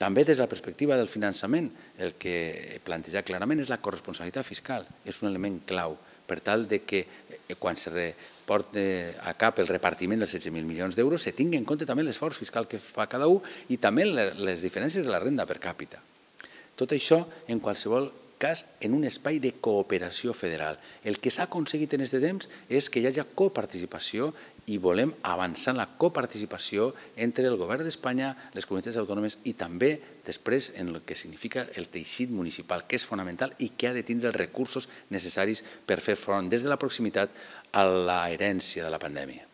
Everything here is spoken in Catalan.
També des de la perspectiva del finançament, el que planteja clarament és la corresponsabilitat fiscal. És un element clau per tal que quan se porta a cap el repartiment dels 16.000 milions d'euros se tingui en compte també l'esforç fiscal que fa cada un i també les diferències de la renda per càpita. Tot això, en qualsevol cas, en un espai de cooperació federal. El que s'ha aconseguit en aquest temps és que hi hagi coparticipació i volem avançar en la coparticipació entre el govern d'Espanya, les comunitats autònomes i també després en el que significa el teixit municipal, que és fonamental i que ha de tindre els recursos necessaris per fer front des de la proximitat a l'herència de la pandèmia.